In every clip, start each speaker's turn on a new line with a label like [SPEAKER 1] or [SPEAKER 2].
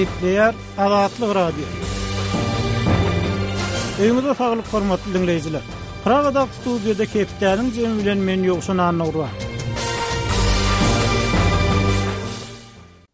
[SPEAKER 1] Gepleýär Azatlyk Radiosy. Öýüňize saglyk hormatly diňleýjiler. Pragadaky studiýada hepdäniň jemi bilen men Ýowşan Annagurban.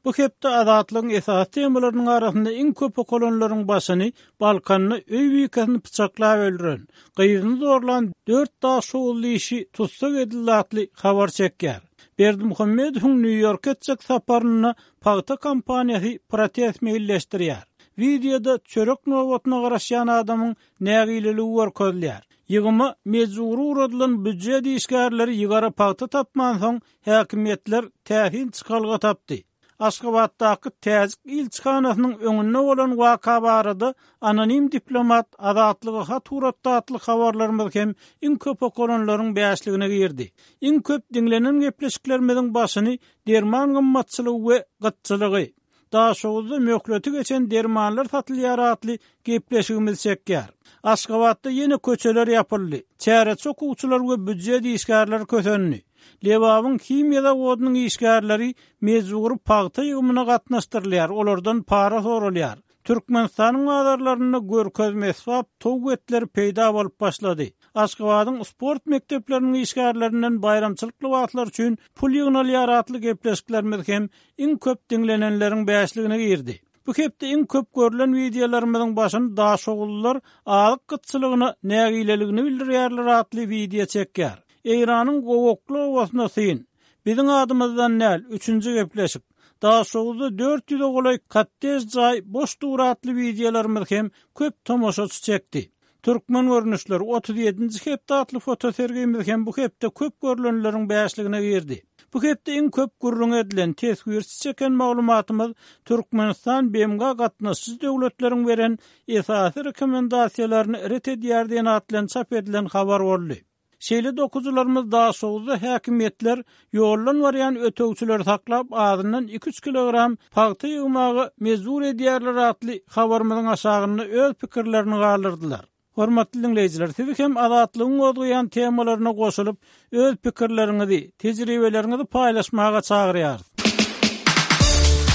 [SPEAKER 1] Bu hepde Azatlygyň esasy temalarynyň arasynda iň köp okalanlaryň başyny Balkanda öý bikesini pyçaklap öldüren, gyzyny zorlan dört daşoguzly işi tussag edildi atly habar çekýär. Berdimuhamedowyň Nýu-Ýorka etjek saparynda pagta kompaniýasy protest meýilleşdirýär. Wideoda çörek nobatyna garaşýan adamyň nägileligi görkezilýär. Ýygyma mejbury ugradylan býujet işgärleri ýygara pagta tapmansoň, häkimiýetler täsin çykalga tapdy. Aşgabatdaky täjik ilçihanasynyň öňünde bolan waka barada anonim diplomat Azatlyga hat ugratdy atly habarlarymyz hem iň köp okalanlaryň bäşligine girdi. Iň köp diňlenen gepleşiklerimiziň başyny derman gymmatçylygy we gytçylygy, Daşoguzda möhleti geçen dermanlar satylýar atly gepleşigimiz çekýär. Aşgabatda ýene köçeler ýapyldy. Çäreçi okuwçylar we býujet işgärleri kösendi. Lebabyň himiýa zawodynyň işgärleri mejbury pagta ýygymyna gatnaşdyrylýar, olardan para soralýar. Türkmenistanyň bazarlarynda görkezme esbap towuk etleri peýda bolup başlady. Aşgabadyň sport mekdepleriniň işgärlerinden baýramçylyk lybaslary üçin pul ýygnalýar atly gepleşiklerimiz hem iň köp diňlenenleriň bäşligine girdi. Bu hepde iň köp görlen wideolarymyzyň başyny daşoguzlylar azyk gytçylygyna nägileligini bildirýärler atly wideo çekýär. Eýranyň gowakly obasyna syn. Biziň adymyzdan däl, üçünji gepleşik. Daşoguzda 400-e golaý kottej jaý boş dur atly wideolarymyz hem köp tomaşaçy çekdi. Türkmen görnüşleri, 37-nji hepde atly fotosergimiz hem bu hepde köp görlenleriň bäşligine girdi. Bu hepde iň köp gürrüňi edilen, teswirçi çeken maglumatymyz Türkmenistan BMG-a gatnaşyjy döwletleriň beren esasy rekomendasiýalaryny ret edýär diýen at bilen çap edilen habar boldy. Şeýle-de okyjylarymyz Daşoguzda häkimiýetler ýoldan barýan ötegçileri saklap, azyndan iki-üç kilogram pagta ýygmaga mejbur edýärler atly habarymyzyň aşagynda öz pikirlerini galdyrdylar. Hormatly diňleýjiler, sizi hem Azatlygyň gozgaýan temalaryna goşulyp, öz pikirleriňizi, tejribeleriňizi paýlaşmaga çagyrýarys.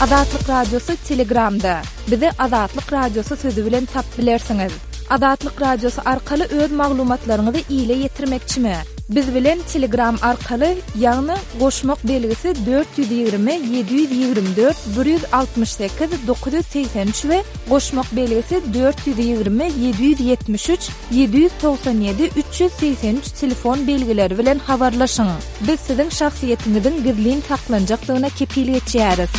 [SPEAKER 2] Azatlyk Radiosy Telegramda. Bizi Azatlyk Radiosy sözi bilen tapyp bilersiňiz. Azatlyk Radiosy arkaly öz maglumatlaryňyzy ile ýetirmekçimi? Biz bilen Telegram arkaly, ýagny goşmak belgisi 420 724 168 983 we goşmak belgisi 420 773 797 383 telefon belgileri bilen habarlaşyň. Biz siziň şahsyýetiňiziň gizlin saklanjakdygyna kepil geçýäris.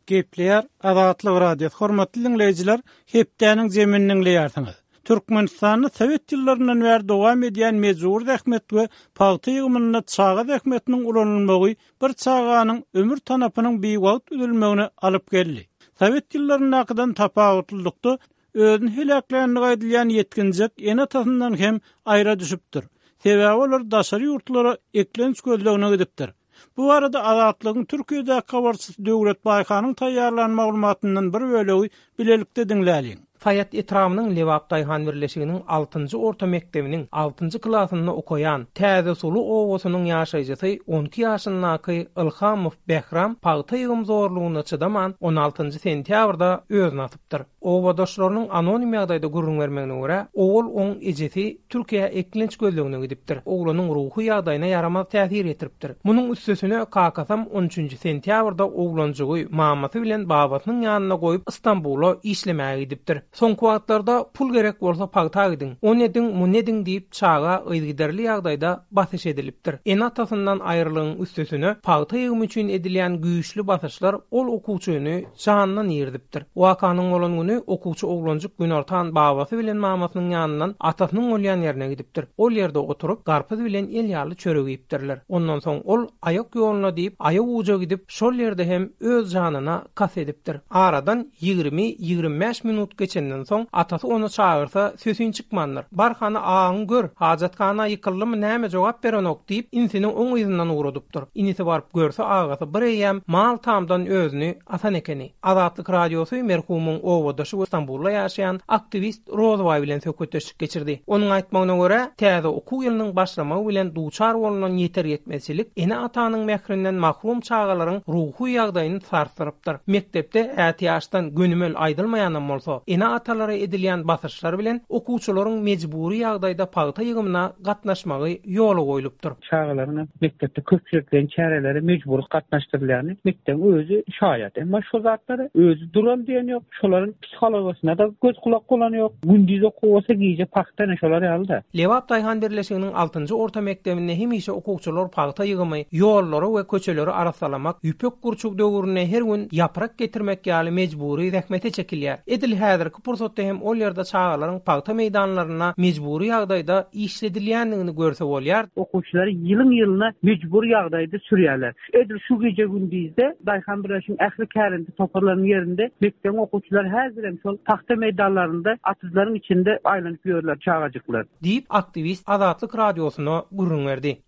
[SPEAKER 1] Gepleýär Azatlyk Radiosy Hormatly diňleýjiler, hepdäniň jemini diňleýärsiňiz. Türkmenistanda sowet ýyllaryndan bäri dowam edýän mejbury zähmet we pagta ýygymynda çaga zähmetiniň ulanylmagy bir çaganyň ömür tanapynyň biwagt üzülmegine alyp geldi. Sowet ýyllaryndakydan tapawutlylykda, Özüni heläkländigi aýdylýan ýetginjek ene-atasyndan hem aýra düşüpdir. Sebäbi olar daşary ýurtlara eklenç gözlegine gidipdir. Bu barada Azatlygyň Türkiýedäki habarçysy Döwlet Baýhanyň taýýarlan maglumatyndan bir bölegi bilelikde diňläliň.
[SPEAKER 3] Saýat etrabynyň Lebap daýhan birleşiginiň altynjy orta mekdebiniň altynjy klasynda okaýan Täze Suly obasynyň ýaşaýjysy on iki ýaşyndaky Ylhamow Bähram pagta ýygym zorlugyna çydaman, on altynjy sentýabrda özüni asypdyr. Obadaşlarynyň anonim ýagdaýda gürrüň bermegine görä, owal oň ejesi Türkiýä eklenç gözlegine gidipdir. Oglanyň ruhy ýagdaýyna ýaramaz täsir ýetiripdir. Munuň üstesine kakasam on üçünji sentýabrda oglanjygy mamasy bilen babasynyň ýanynda goýup Stambula işlemäge gidipdir. Soňky wagtlarda pul gerek bolsa pagta gidiň, ony ediň, muny ediň diýip çaga yzygiderli ýagdaýda basyş edilipdir. Ene-atasyndan aýrylygyň üstesine pagta ýygymy üçin edilýän güýçli basyşlar ol okuwçyny janyndan irizipdir. Wakanyň bolan güni okuwçy oglanjyk günortan babasy bilen mamasynyň ýanyndan atasynyň bolýan ýerine gidipdir. Ol ýerde oturyp, garpyz bilen el ýaly çörek iýipdirler. Ondan soň ol aýak ýoluna diýip, aýaguja gidip, şol ýerde hem öz janyna kast edipdir. Aradan ýigrimi, 25 minut geçen. geçenden soň, atasy ony çagyrsa, sesiň çykmandyr. Bar hany agaňy gör, hajathana ýykyldymy näme jogap berenok diýip, inisini oň yzyndan ugradypdyr. Inisi baryp görse agasy bir eýýäm mal tamdan özüni asan ekeni. Azatlyk Radiosy merhumyň obadaşy we Stambulda ýaşaýan aktiwist Rozybaý bilen söhbetdeşlik geçirdi. Onuň aýtmagyna görä, täze okuw ýylynyň başlamagy bilen duçar bolnan ýeter-ýetmezçilik ene-atanyň mährinden mahrum çagalaryň ruhy ýagdaýyny sarsdyrypdyr. Mekdepde ätiýaçdan gönümel aýdylmaýanam bolsa, ene-atalara edilýän basyşlar bilen okuwçylaryň mejbury ýagdaýda pagta ýygymyna gatnaşmagy ýola goýlupdyr.
[SPEAKER 4] Çagalaryň mekdepde köpçülikleýin çärelere mejbury gatnaşdyrylýany mekdebiň özi şaýat. Emma şo zatlara özi dural diýen ýok. Şolaryň psihologiýasyna-da göz-gulak bolan ýok. Gündiz okuw bolsa gije pagta ine şolar ýaly-da.
[SPEAKER 3] Lebap daýhan birleşiginiň altynjy orta mekdebinde hemişe okuwçylar pagta ýygymy, ýollary we köçeleri arassalamak, ýüpek gurçuk döwründe her gün ýaprak getirmek ýaly mejbury zähmete çekilýär. Edil häzirki pursatda hem ol ýerde çagalaryň pagta meýdanlarynda mejbury ýagdaýda işledilýändigini görse bolýar.
[SPEAKER 4] Okuwçylary ýylyň-ýylyna mejbury ýagdaýda sürýärler. Edil şu gije-gündizde daýhan birleşigiň ähli kärende toparlarynyň ýerinde mekdebiň okuwçylary häzirem şol pagta meýdanlarynda atyzlaryň içinde aýlanyp ýörler çagajyklar.
[SPEAKER 3] Diýip, aktiwist Azatlyk Radiosyna gürrüň berdi.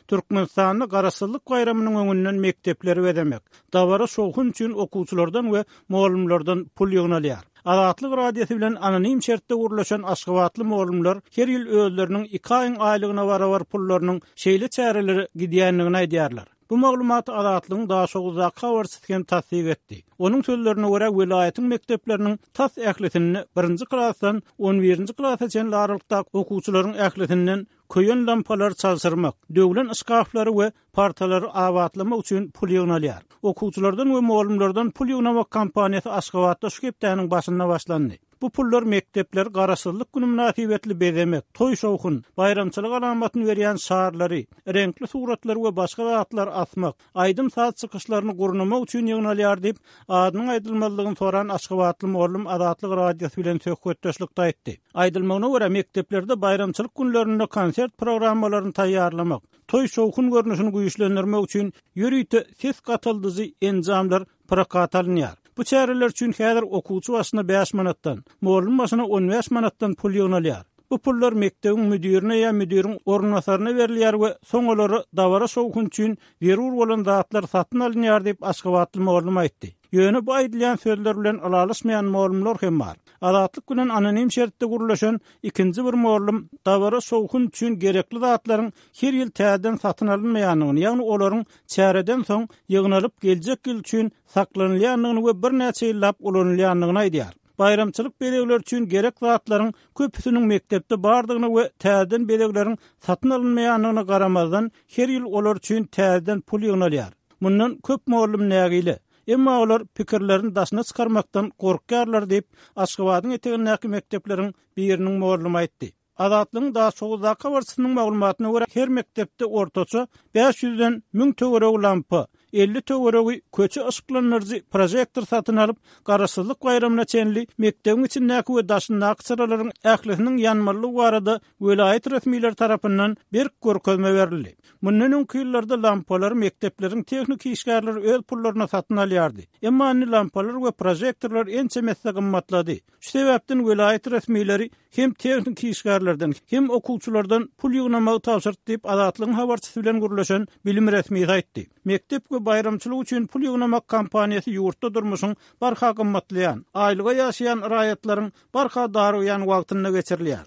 [SPEAKER 1] Türkmenistanda Garaşsyzlyk baýramynyň öňünden mekdepleri bezemek, dabara-şowhun üçin okuwçylardan we mugallymlardan pul ýygnalýar. Azatlyk Radiosy bilen anonim şertde gürleşen aşgabatly mugallymlar her ýyl özleriniň iki aýyň aýlygyna barabar pullarynyň şeýle çärelere gidýändigini aýdýarlar. Bu maglumaty Azatlygyň Daşoguzdaky habarçysy hem tassyk etdi. Onuň sözlerine görä, welaýatyň mekdepleriniň tas ählisinde birinji klasdan on birinji klasa çenli aralykdaky okuwçylaryň ählisinden köýen lampalary çalşyrmak, döwlen şkaflary we partalary abatlamak üçin pul ýygnalýar. Okuwçylardan we mugallymlardan pul ýygnamak kampaniýasy Aşgabatda şu hepdäniň başynda başlandy. Bu pullar mekdepleri Garaşsyzlyk güni mynasybetli bezemek, toý-şowhun, baýramçylyk alamatyny berýän şarlary, reňkli suratlary we başga zatlary asmak, aýdym-saz çykyşlaryny gurnamak üçin ýygnalýar diýip, adynyň aýdylmazlygyny soran aşgabatly mugallym Azatlyk Radiosy bilen söhbetdeşlikde aýtdy. Aýdylmagyna görä, mekdeplerde baýramçylyk günlerinde konsert programmalaryny taýýarlamak, toý-şowhun görnüşini güýçlendirmek üçin ýörite ses gataldyjy enjamlar prokata alynýar. Bu çäreler üçin häzir okuwçy başyna bäş manatdan, mugallym başyna on bäş manatdan pul ýygnalýar. Bu pullar mekdebiň müdirine ýa müdiriň orunbasaryna berilýär we soň olara dabara-şowhun üçin zerur bolan zatlar satyn alynýar diýip, aşgabatly mugallym aýtdy. Ýöne bu aýdylýan sözler bilen ylalaşmaýan mugallymlar hem bar. Azatlyk bilen anonim şertde gürleşen ikinji bir mugallym dabara-şowhun üçin gerekli zatlaryň her ýyl täzeden satyn alynmaýandygyny, ýagny olaryň çäreden soň ýygnalyp geljek ýyl üçin saklanylýandygyny we birnäçe ýyllap ulanylýandygyny aýdýar. Baýramçylyk bezegleri üçin gerek zatlaryň köpüsiniň mekdepde bardygyna we täzeden bezegleriň satyn alynmaýandygyna garamazdan, her ýyl olar üçin täzeden pul ýygnalýar. Mundan köp mugallym nägile. Emma olar pikirlerini daşyna çykarmakdan gorkýarlar diýip, Aşgabadyň etegindäki mekdepleriň biriniň mugallymy aýtdy. Azatlygyň Daşoguzdaky habarçysynyň maglumatyna görä, her mekdepde ortaça bäş ýüzden müň töweregi lampa, 50 töweregi köçe yşyklandyryjy prožektor satyn alyp, Garaşsyzlyk baýramyna çenli mekdebiň içindäki we daşyndaky çyralaryň ählisiniň ýanmalydygy barada welaýat resmileri tarapyndan berk görkezme berildi. Mundan öňki ýyllarda lampalary mekdepleriň tehniki işgärleri öz pullaryna satyn alýardy. Emma indi lampalar we prožektorlar ençeme esse gymmatlady. Şu sebäpden welaýat resmileri hem tehniki işgärlerden, hem okuwçylardan pul ýygnamagy tabşyrdy diýip, Azatlygyň habarçysy bilen gürleşen bilim resmisi aýtdy. Mekdep we baýramçylyk üçin pul ýygnamak kampaniýasy ýurtda durmuşyň barha gymmatlaýan, aýlyga ýaşaýan raýatlaryň barha darygýan wagtynda geçirilýär.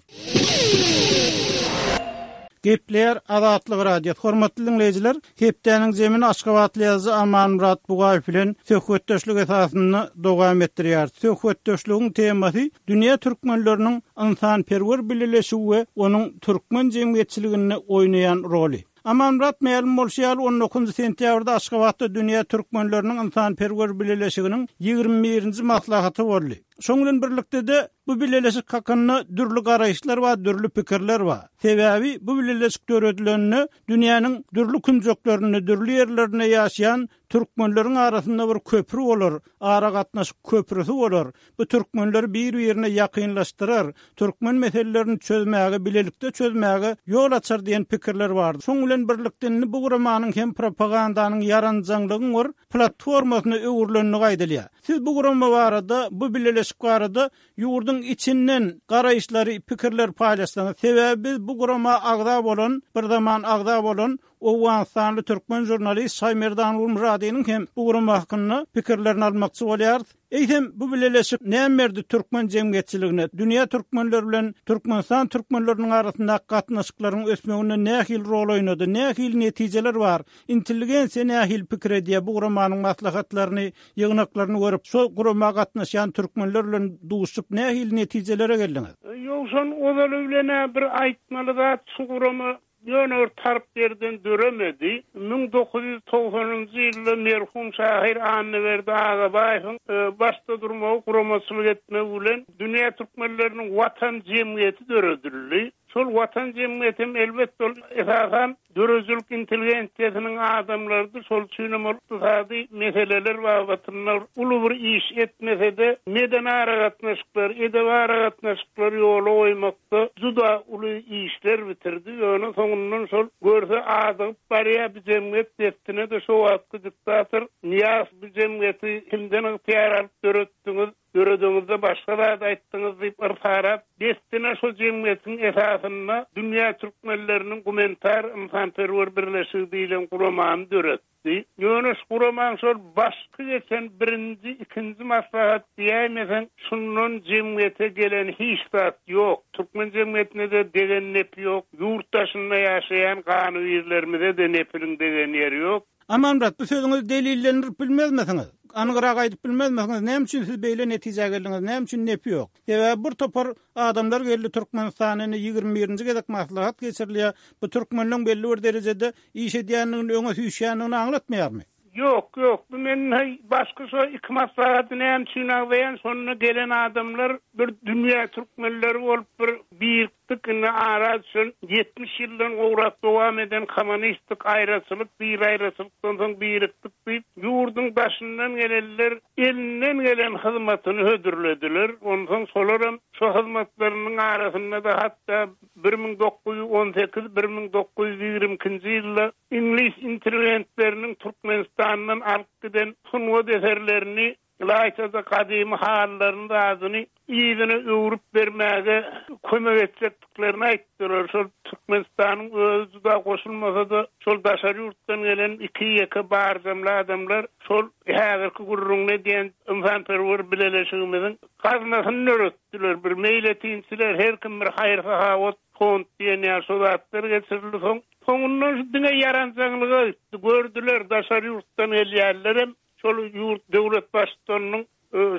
[SPEAKER 1] Gepleýär Azatlyk Radiosy. Hormatly diňleýjiler, hepdäniň jemini aşgabatly ýazyjy Amanmyrat Bugaýew bilen söhbetdeşlik esasynda dowam etdirýäris. Söhbetdeşligiň temasy dünýä türkmenleriniň ynsanperwer bileleşigi we onuň türkmen jemgyýetçiliginde oýnaýan roly. Amanmyrat mälim bolşy ýaly, on dokuzynjy sentýabrda Aşgabatda dünýä türkmenleriniň ynsanperwer bileleşiginiň 21-nji maslahaty boldy. Şoň bilen birlikde-de bu bileleşik hakynda dürli garaýyşlar bar, dürli pikirler bar. Sebäbi bu bileleşik döredilende dünýäniň dürli künjeklerinde, dürli ýerlerinde ýaşaýan türkmenleriň arasynda bir köpri bolar, aragatnaşyk köprüsi bolar. Bu türkmenleri bir-birine ýakynlaşdyrar, türkmen meselelerini çözmäge, bilelikde çözmäge ýol açar diýen pikirler bardy. Şoň bilen birlikde indi bu guramanyň hem propagandanyň, ýaranjaňlygyň bir platformasyna öwrülendigi aýdylýar. Siz bu gurama barada, bu bileleşik barada ýurduň içinden garaýyşlary, pikirleri paýlaşsaňyz. Sebäbi biz bu gurama agza bolan, bir zaman agza bolan owganystanly türkmen žurnalist Şaýmerdan Gulmyradynyň hem bu gurama hakynda pikirlerini almakçy bolýarys. Eýsem, bu bileleşik näme berdi türkmen jemgyýetçiligine, dünýä türkmenleri bilen Türkmenistan türkmenleriniň arasyndaky gatnaşyklaryň ösmeginde nähili rol oýnady, nähili netijeler bar, intelligensiýa nähili pikir edýär bu guramanyň maslahatlaryny, ýygnaklaryny görüp, şo gurama gatnaşýan türkmenler bilen duşup nähili netijelere geldiňiz?
[SPEAKER 5] Ýowşan, ozaly bilen-ä bir aýtmaly zat şu gurama Ýöne bir tarp ýerden döremedi. 1990-njy ýylda merhum şahyr Annaberdi Agabaýewiň başda durmagy, guramaçylyk etmegi bilen Dünýä türkmenleriniň Watan jemgyýeti döredildi. Şol Watan jemgyýetem elbetde ol esasan döredijilik intelligensiýasynyň adamlarydy. Şol üçinem ol ykdysady meseleler babatynda uly bir iş etmese-de, medeni aragatnaşyklary, edebi aragatnaşyklary ýola goýmak, Da juda uly işler bitirdi, ýöne soňundan şol görse adygyp barýar bu jemgyýet dessine-de şo wagtky diktator Nyýazow bu jemgyýeti kimden ygtyýar alyp döretdiňiz, döredeňizde başga zat aýtdyňyz diýip yrsarap, dessine şo jemgyýetiň esasynda Dünýä türkmenleriniň gumanitar ynsanperwer birleşigi diýlen guramany döretdi. Ýöne şu guramaň şol başky geçen birinji, ikinji maslahat diýäýmeseň, şundan jemgyýete gelen hiç zat ýok. Türkmen jemgyýetine-de degen nepi ýok, ýurt daşynda ýaşaýan ganybirlerimize-de nepiniň degen ýeri ýok.
[SPEAKER 1] Amanmyrat, bu sözüňizi delillendirip bilmezmisiňiz? Anygrak aýdyp bilmezmisiňiz? Näme üçin siz beýle netijä geldiňiz? Näme üçin nepi ýok? Sebäbi bir topar adamlar geldi Türkmenistana indi 21-nji gezek maslahat geçirilýär. Bu türkmenleň belli bir derejede iş edýändigini öňe süýşýändigini aňlatmaýarmy?
[SPEAKER 5] Ýok, ýok. Bu men heý başky şo iki maslahaty näme üçin agzaýan, şonda gelen adamlar bir dünýä türkmenleri bolup bir birikdik, indi ara düşen 70 ýyldan gowrak dowam eden kommunistik aýraçylyk, bir aýraçylykdan soň birikdik diýip, ýurduň daşyndan gelenler elinden gelen hyzmatyny hödürlediler. Onsoň şolaram şo hyzmatlarynyň arasynda-da hatda 1918, 1922-nji ýylda iňlis interwentleriniň Türkmenistandan alyp giden sungat eserlerini, ylaýta-da gadymy halylaryny zadyny yzyna öwrüp bermäge kömek etjekdiklerini aýtdylar. Şol Türkmenistanyň özi juda goşulmasa-da, şol daşary ýurtdan gelen iki-ýeke barjamly adamlar şol häzirki gürrüňini edýän ynsanperwer bileleşigimiziň gaznasyny döretdiler. Bir meýletinçiler, her kim bir haýyr-sahawat fond diýen ýaly şo zatlar geçirildi. Soň soňundan şu diňe ýaranjaňlyga gitdi. Gördüler, daşary ýurtdan gelýänlerem şol ýurt döwlet baştutanynyň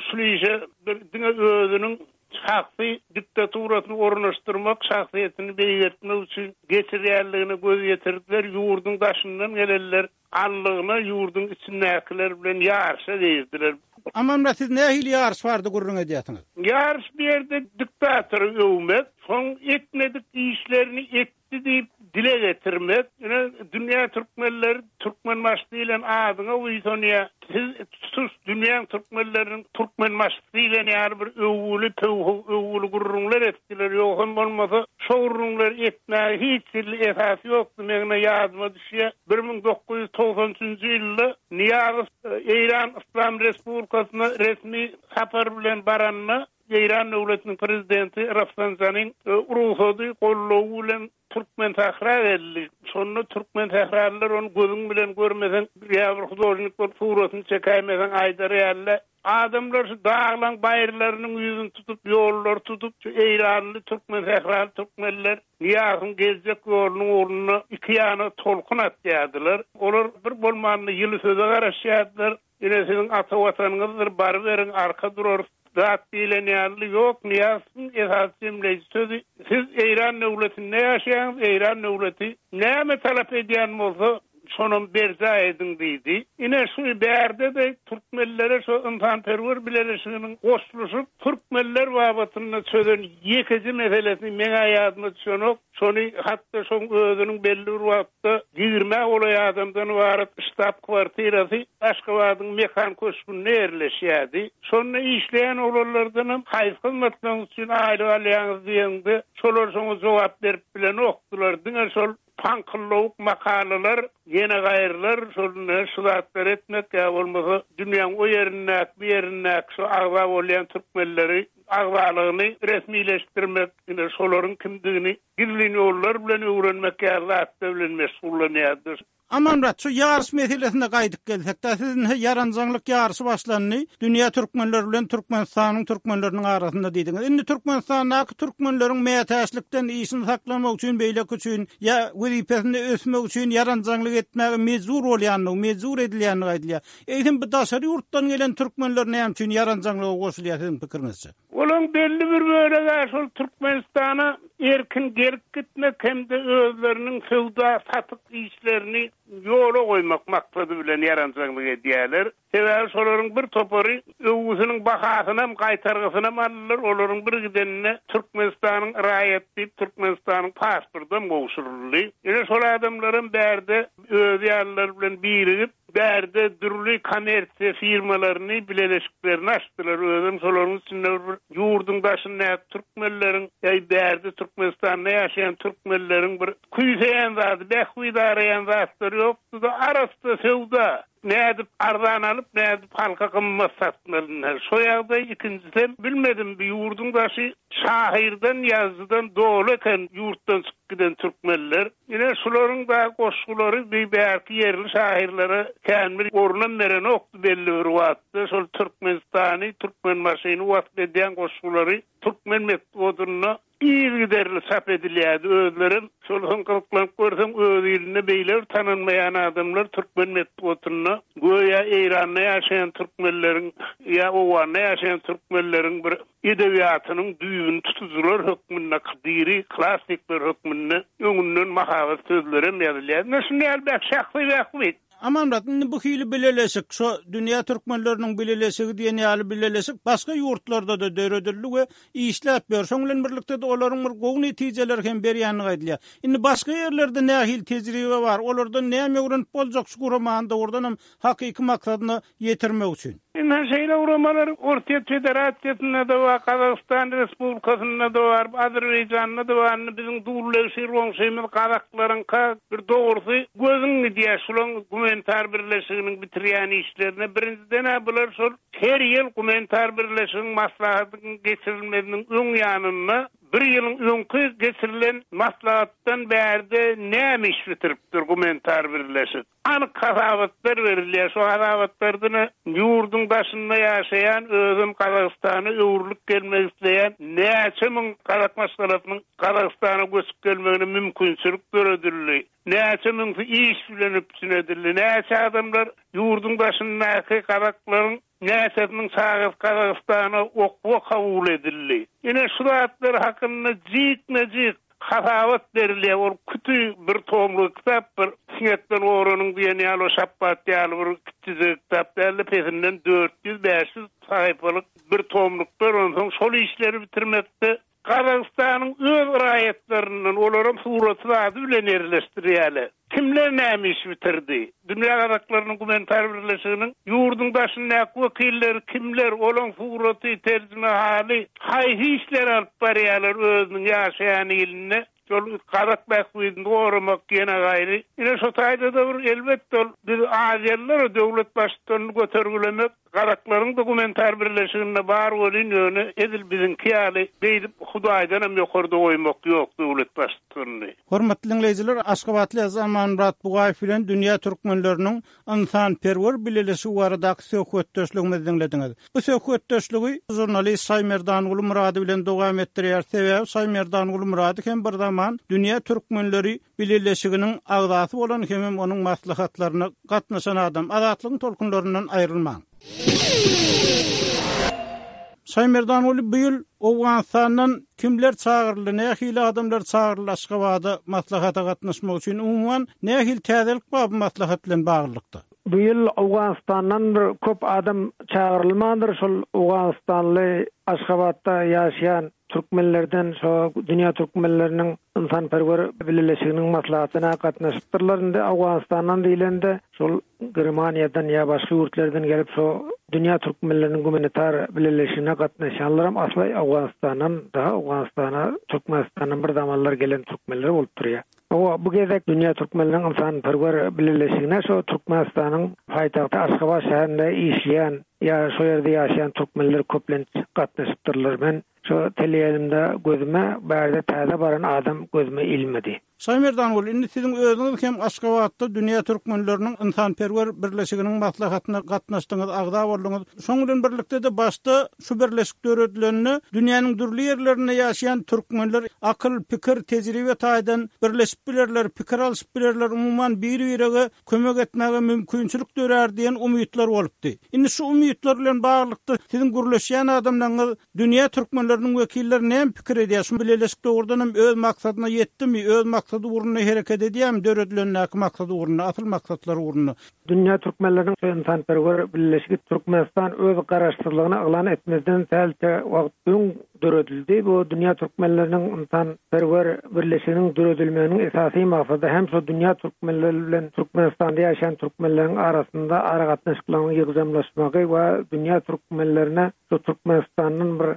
[SPEAKER 5] şul işe bir diňe özüniň şahsy diktaturasyny ornaşdyrmak, şahsyýetini beýgeltmek üçin geçirýänligine göz ýetirdiler. Ýurduň daşyndan gelenler allygyna ýurduň içindäkiler bilen ýaryşa girdiler.
[SPEAKER 1] Amanmyrat siz nähili ýaryş barada gürrüň edýärsiňiz?
[SPEAKER 5] Ýaryş bu ýerde diktatory öwmek, soň etmedik işlerini etdi diýip dile getirmek. Ine dünýä türkmenleri Türkmenbaşy diýlen adyňa buýsanýar. Siz tutuş dünýäň türkmenleriniň Türkmenbaşysy diýlen ýaly bir öwgüli, pöwhüw öwgüli gürrüňler etdiler. Ýogsam bolmasa şo gürrüňleri etmäge hiç hili esas ýokdy. Meň ine ýadyma düşýär, 1993-nji ýylda Nyýazow Eýran Yslam Respublikasyna resmi sapar bilen baranda, Eýran döwletiniň prezidenti Rafsanjanyň rugsady, goldawy bilen Türkmensähra geldi. Şonda türkmensähralylar ony gözüň bilen görmeseň, ýa bir hudožnik bolup suratyny çekäýmeseň aýdar ýaly-da. Adamlar şu daglaň baýyrlarynyň ýüzüni tutup, ýollary tutup, şu eýranly, türkmensähraly türkmenler Nyýazowyň geljek ýolunyň ugrunda iki ýana tolkun atýardylar. Olar bir bolmanda ýyly söze garaşýardylar. Ine siziň ata watanyňyzdyr, baryberiň, arka durarys zat diýlen ýaly. Ýok, Nyýazowyň esasy jemleýji sözi, Siz Eýran döwletinde ýaşaýaňyz, Eýran döwleti näme talap edýän bolsa, Şonam berjaý ediň diýdi. Ine şu bärde-de türkmenlere şu ynsanperwer bileleşiginiň goşluşyp türkmenler babatynda çözen ýekeje meselesi meň-ä ýadyma düşenok. Şony hatda şoň özüniň belli bir wagtda ýigrimä golaý adamdan ybarat ştab kwartirasy Aşgabadyň Mekan köşgünde ýerleşýärdi. Şonda işleýän oglanlardanam haýsy hyzmatlaryňyz üçin aýlyk alýaňyz diýeňde, şolar şoňa jogap berip bilenokdylar. Diňe şol paňkyllawuk makalalar, ýene gaýrylar şol ine şu zatlary etmek ýa bolmasa dünýäň o ýerindäki, bu ýerindäki şu agza bolýan türkmenleri agzalygyny resmileşdirmek, ine şolaryň kimdigini gizlin ýollar bilen öwrenmek ýaly zatlar bilen meşgullanýardy.
[SPEAKER 1] Amanmyrat, şu ýaryş meselesine gaýdyp gelsek-dä, siz indi ýaranjaňlyk ýaryşy başlandy, dünýä türkmenleri bilen Türkmenistanyň türkmenleriniň arasynda diýdiňiz. Indi Türkmenistandaky türkmenleriň mätäçlikden işini saklamak üçin, beýleki üçin ýa wezipesinde ösmek üçin ýaranjaňlyk etmäge mejbur bolýandygy, mejbur edilýändigi aýdylýar. Eýsem bu daşary ýurtdan gelen türkmenler näme üçin ýaranjaňlyga goşulýar siziň pikiriňizçe?
[SPEAKER 5] Olaň belli bir bölegi-ä şol Türkmenistana erkin gelip gitmek hem-de özleriniň söwda-satyk işlerini ýola goýmak maksady bilen ýaranjaňlyk edýärler. Sebäbi şolaryň bir topary öwgüsiniň bahasynam, gaýtargysynam aldylar, olaryň bir gidenine Türkmenistanyň raýaty diýip Türkmenistanyň pasportam gowşuryldy. Ine şol adamlaram bärde özi ýalylar bilen birigip, Bärde dürli kommersiýa firmalaryny, bileleşiklerini açdylar. Özem şolaryň içinde bir ýurduň daşyndaky türkmenleriň, ýa bärde Türkmenistanda ýaşaýan türkmenleriň bir küýseýän zady, bähbit araýan zatlary ýokdy-da, arassa söwda. Nädip arzan alyp, nädip halka gymmat satmaly ine, şo ýagdaý. Ikinjisem, bilmedim, bu ýurduň daşy şahyrdan, ýazyjydan doly eken ýurtdan çykyp giden türkmenler. Ine, şularyň-da goşgulary bi bärki ýerli şahyrlara kän bir orunam berenokdy belli bir wagtda. Şol Türkmenistany, Türkmenbaşyny wasp edýän goşgulary türkmen metbugatynda yzygiderli çap edilýärdi. Özlerem şol soň gyzyklanyp görseň, öz ilinde beýle bir tanalmaýan adamlar türkmen metbugatynda göýä Eýranda ýaşaýan türkmenleriň ýa Owganda ýaşaýan türkmenleriň bir edebiýatynyň düýbüni tutujylar hökmünde, diri klassikler hökmünde öňünden mahabat sözlerem ýazylýar. Ine, şunda ýaly bäh şahsy bähbit.
[SPEAKER 1] Amanmyrat, indi bu hili bileleşik, şo Dünýä türkmenleriniň bileleşigi diýen ýaly bileleşik başga ýurtlarda-da döredildi we işläp ýör. Şoň bilen birlikde-de olaryň bir gowy netijeleri hem berýändigi aýdylýar. Indi başga ýerlerde nähili tejribe bar, olardan näme öwrenip boljak şu guramany dogrudanam hakyky maksadyna ýetirmek üçin.
[SPEAKER 5] Ynha, şeýle guramalar Orsýet Federasiýasynda-da bar, Gazagystan Respublikasynda-da bar, Azerbaýjanda-da bar. Indi biziň dullegşir goňşymyz gazaklaryňka bir dogrusy gözüň gidýär şulaň gumanitar birleşiginiň bitirýän işlerine. Birinjiden-ä bular şol her ýyl gumanitar birleşigiň maslahatynyň geçirilmeziniň öň ýanynda bir ýylyň öňki geçirilen maslahatdan bärde näme iş bitiripdir gumanitar birleşik? Anyk hasabatlar berilýär. Şo hasabatlarda ýurduň daşynda ýaşaýan, özem Gazagystana öwrülip gelmek isleýän näçe müň gazak maşgalasynyň Gazagystana göçüp gelmegine mümkinçilik döredildi. Näçe müňsi iş bilen üpjün edildi. Näçe adamlar ýurduň daşyndaky gazaklaryň näçesiniň çagasy Gazagystana okuwa kabul edildi. Ine şu zatlar hakynda jikme-jik Hasabat berilýär, ol küti bir tomluk kitap, bir siňekden goranyň diýen ýaly o şapbat ýaly bir kiçijik kitap däldi, pesinden 400, 500 sahypalyk bir tomluklar, onsoň şol işleri bitirmekde Gazagystanyň öz raýatlaryndan, olaram suraty zady bilen ýerleşdirýärler. Kimler näme iş bitirdi? Dünýä gazaklarynyň gumanitar birleşiginiň ýurduň daşyndaky wekilleri kimler, olaň suraty, terjimehaly, haýsy işleri alyp barýarlar özüniň ýaşaýan ilinde, şol gazak bähbidini goramak ýene gaýry. Ine şo taýda-da bir elbetde ol biz aziýalylar döwlet baştutanyny götergilemek Gazaklaryň dokumentar birleşiginde bar welin ýöne edil biziňki ýaly beýdip hudaýdanam ýokarda goýmak ýok döwlet baştutanyny.
[SPEAKER 1] Hormatly diňleýjiler, Aşgabatly ýazyjy Amanmyrat Bugaýew bilen dünýä türkmenleriniň ynsanperwer bileleşigi baradaky söhbetdeşligimizi diňlediňiz. Bu söhbetdeşligi žurnalist Şaýmerdanguly Myrady bilen dowam etdirýäris. Sebäbi Şaýmerdanguly Myrady hem bir zaman dünýä türkmenleri Bileleşiginiň agzasy bolan hemem onuň maslahatlaryna gatnaşan adam. Azatlygyň tolkunlaryndan aýrylmaň. Şaýmerdanguly bu ýyl Owganystandan kimler çagyryldy, nähili adamlar çagyryldy Aşgabada maslahata gatnaşmak üçin, umuman nähili täzelik bar bu maslahat bilen baglylykda?
[SPEAKER 6] Bu ýyl Owganystandan bir köp adam çagyrylmandyr, şol owganystanly Aşgabatda ýaşaýan türkmenlerden şo dünýä türkmenleriniň ynsanperwer bileleşiginiň maslahatyna gatnaşypdyrlar. Indi Owganystandan diýlende şol Germaniýadan ýa başga ýurtlardan gelip şo dünýä türkmenleriniň gumanitar bileleşigine gatnaşýanlaram asly Owganystandan daha Owganystana Türkmenistandan bir zamanlar gelen türkmenler bolup durýar. Hawa, bu gezek Dünýä türkmenleriniň ynsanperwer bileleşigine şo Türkmenistanyň paýtagty Aşgabat şäherinde işleýän ýa şo ýerde ýaşaýan türkmenler köplenç gatnaşypdyrlar. Men şo teleýaýlymda gözüme bärde täze baran adam gözüme ilmedi.
[SPEAKER 1] Şaýmerdanguly, indi siziň özüňiz hem Aşgabatda Dünýä türkmenleriniň ynsanperwer birleşiginiň maslahatyna gatnaşdyňyz, agza bolduňyz. Şoň bilen birlikde-de başda şu birleşik döredilende dünýäniň dürli ýerlerinde ýaşaýan türkmenler akyl, pikir, tejribe taýdan birleşip bilerler, pikir alşyp bilerler, umuman bir-birege kömek etmäge mümkinçilik dörär diýen umytlar bolupdy. Indi şu umytlar bilen baglylykda siziň gürleşýän adamlaryňyz dünýä türkmenleriniň wekilleri näme pikir edýär, şu bileleşik dogrudan hem öz maksadyna ýetdimi, öz maksady ugrunda hereket edýärmi, döredilendäki maksady ugrunda, asyl maksatlary ugrunda?
[SPEAKER 6] Dünýä türkmenleriniň ynsanperwer birleşigi Türkmenistan öz garaşsyzlygyny yglan etmezden sähelçe wagt öň döredildi. Bu dünýä türkmenleriniň ynsanperwer birleşiginiň döredilmeginiň esasy maksady hem şo dünýä türkmenleri bilen Türkmenistanda ýaşaýan türkmenleriň arasynda aragatnaşyklaryň ýygjamlaşmagy we dünýä türkmenlerine Şu Türkmenistandan bir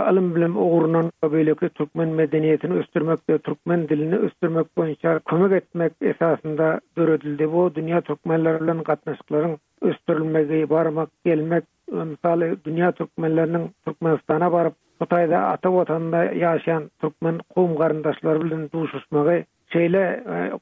[SPEAKER 6] ylym-bilim ugrundan we beýleki türkmen medeniýetini ösdürmek we türkmen dilini ösdürmek boýunça kömek etmek esasynda döredildi. Bu dünýä türkmenleri bilen gatnaşyklaryň ösdürilmegi, barmak, gelmek, mysaly dünýä türkmenleriniň Türkmenistana baryp, bu taýda ata Watanynda ýaşaýan türkmen kowum-garyndaşlary bilen duşuşmagy şeýle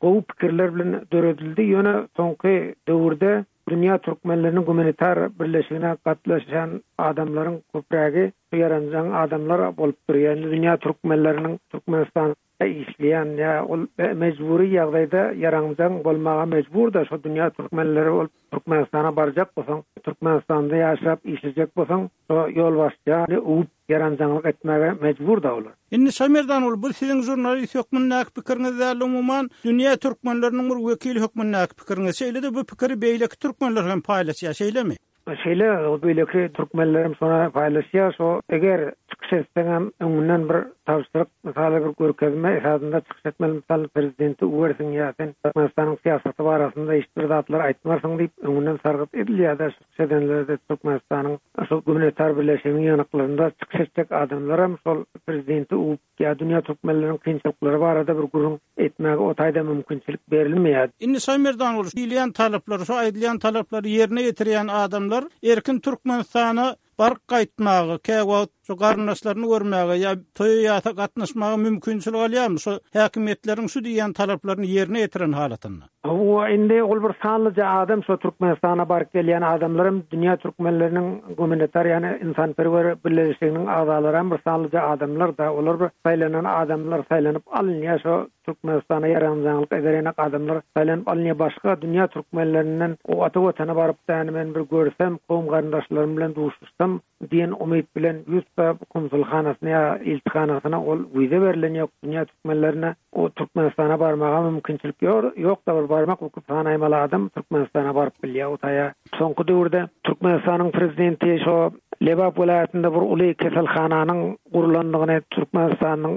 [SPEAKER 6] gowy pikirler bilen döredildi. Ýöne soňky döwürde Dünýä türkmenleriniň gumanitar birleşigine gatnaşýan adamlaryň köprägi şu ýaranjaň adamlar bolup durýar. Indi dünýä türkmenleriniň Türkmenistanda işleýän ýa ol mejbury ýagdaýda ýaranjaň bolmaga mejburda şo dünýä türkmenleri bolup Türkmenistana barjak bolsaň, Türkmenistanda ýaşap işlejek bolsaň şo ýolbaşçyny öwüp ýaranjaňlyk etmäge mejbur-da olar.
[SPEAKER 1] Indi Şamerdanguly, bu siziň žurnalist hökmündäki pikiriňiz däl, umuman, dünýä türkmenleriniň bir wekili hökmündäki pikiriňiz. Şeýle-de bu pikiri beýleki türkmenler hem paýlaşýar, şeýlemi?
[SPEAKER 6] Şeýle, beýleki türkmenler hem şony paýlaşýar. Şo, eger çykyş etseňem, öňünden bir tabşyryk, mysaly bir görkezme esasynda çykyş etmeli. Mysal, prezidenti öwersiň ýa sen Türkmenistanyň syýasaty barasynda hiç bir zatlar aýtmarsyň diýip, öňünden sargyt edilýär-de. Çykyş edenlerde Türkmenistanyň şol gumanitar birleşiginiň ýygnaklarynda çykyş etjek adamlaram şol prezidenti öwüp ýa dünýä türkmenleriniň kynçylyklary barada bir gürrüň etmäge o taýda mümkinçilik berilmeýär.
[SPEAKER 1] Indi Şaýmerdanguly, diýilýän talaplary, şu aýdylýan talaplary ýerine ýetirýän adamlar erkin Türkmenistana baryp gaýtmaga, käwagt şu garyndaşlaryny görmäge ýa toýa-ýasa gatnaşmaga mümkinçilik alýarmy şu häkimiýetleriň şu diýýän talaplaryny ýerine ýetiren halatynda?
[SPEAKER 6] Hawa, indi ol bir sanlyja adam şo Türkmenistana baryp gelýän adamlaram dünýä türkmenleriniň gumanitar ýagny ynsanperwer birleşiginiň agzalaram bir sanlyja adamlar-da, olar bir saýlanan adamlar saýlanyp alynýar şo Türkmenistana ýaranjaňlyk eder ýanak adamlar saýlanyp alynýar başga dünýä türkmenlerinden o ata watana baryp däni men bir görsem kowum garyndaşlarym bilen duşuşsam diýen umyt bilen ýüz konsulhanasyna ýa ilçihanasyna ol wiza berlen ýok dünýä türkmenlerine o Türkmenistana barmaga mümkinçilik ýok-da bir barmak ukyp sanaýmaly adam Türkmenistana baryp bilýär o taýa. Soňky döwürde Türkmenistanyň prezidenti şo Lebap welaýatynda bir uly keselhananyň gurlandygyny Türkmenistanyň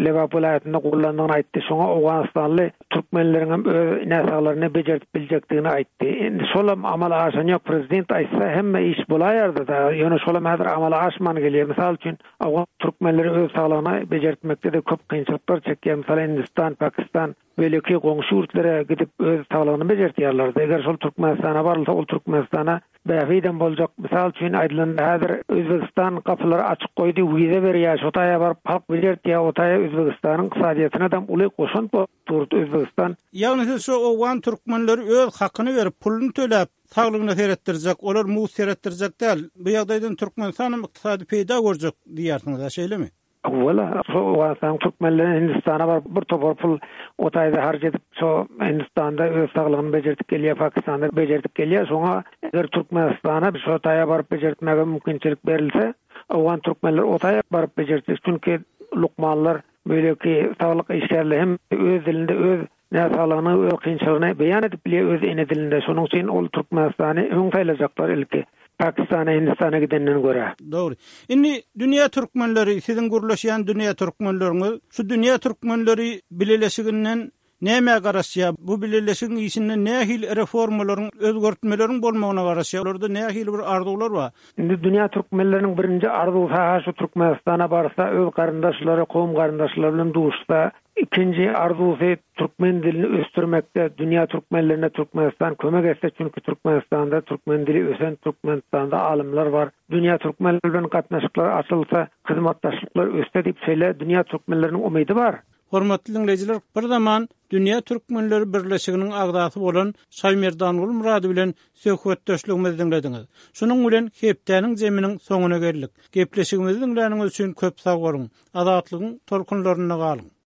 [SPEAKER 6] Lebap welaýatynda gurlandygyny aýtdy. Şoňa owganystanly türkmenleriňem öz näsaglaryny bejerdip biljekdigini aýtdy. Indi şolam amala aşan ýok. Prezident aýtsa hemme iş bolaýardy-da. Ýöne şolam häzir amala aşman gelýär. Mysal üçin, owgan türkmenleri öz saglygyny bejertmekde-de köp kynçylyklar çekýär. Mysal, Hindistan, Pakistan, beýleki goňşy ýurtlara gidip öz saglygyny bejertýärlerdi. Eger şol Türkmenistana barylsa, ol Türkmenistana bähbidem boljak. Mysal üçin aýdylanda, häzir Özbegistan gapylary açyk goýdy, wiza berýär, şo taýa baryp halk bejertýär, o taýa Özbegistanyň ykdysadyýetinedem uly goşant bolup durdy Özbegistan.
[SPEAKER 1] Ýagny siz şo owgan türkmenleri öz hakyny berip, puluny töläp, saglygyna seretdirjek, olar mugt seretdirjek däl. Bu ýagdaýdan Türkmenistanam ykdysady peýda görjek diýýärsiňiz-ä, şeýlemi?
[SPEAKER 6] Owal-a şo Owganystanyň türkmenleri Hindistana baryp bir topar pul o taýda harç edip şo Hindistanda öz saglygyny bejerdip gelýär, Pakistanda bejerdip gelýär. Şoňa eger Türkmenistana şo taýa baryp bejertmäge mümkinçilik berilse, Owgan türkmenler o taýa baryp bejertjek. Çünki lukmanlar, beýleki saglyk işgärleri hem öz dilinde öz näsaglygyny, öz kynçylygyny beýan edip bilýär öz ene dilinde. Şonuň üçin ol Türkmenistany öň saýlajaklar ilki. Pakistana, Hindistana gidenden görä.
[SPEAKER 1] Dogry. Indi dünýä türkmenleri, siziň gürleşýän dünýä türkmenleriňiz, şu dünýä türkmenleri bileleşiginden Nämä garaşýar? Bu bileleşigiň işinde nähili reformalaryň, özgertmeleriň bolmagyna garaşýar? Olarda nähili bir arzuwlar bar?
[SPEAKER 6] Indi dünýä türkmenleriniň birinji arzuwsy-ha şu Türkmenistana barsa, öz garyndaşlary, kowum-garyndaşlary bilen duşsa, ikinji arzuwsy türkmen dilini ösdürmekde dünýä türkmenlerine Türkmenistan kömek etse, çünki Türkmenistanda türkmen dili ösen, Türkmenistanda alymlar bar, dünýä türkmenleri bilen gatnaşyklar açylsa, hyzmatdaşlyklar össe diýip şeýle dünýä türkmenleriniň umydy bar.
[SPEAKER 1] Hormatly diňleýjiler, bir zaman Dünýä Türkmenleri Birleşiginiň agzasy bolan Şaýmerdanguly Myrady bilen söhbetdeşligimizi diňlediňiz. Şunuň bilen hepdäniň jeminiň soňuna geldik. Gepleşigimizi diňläniňiz üçin köp sag boluň! Azatlygyň tolkunlarynda galyň!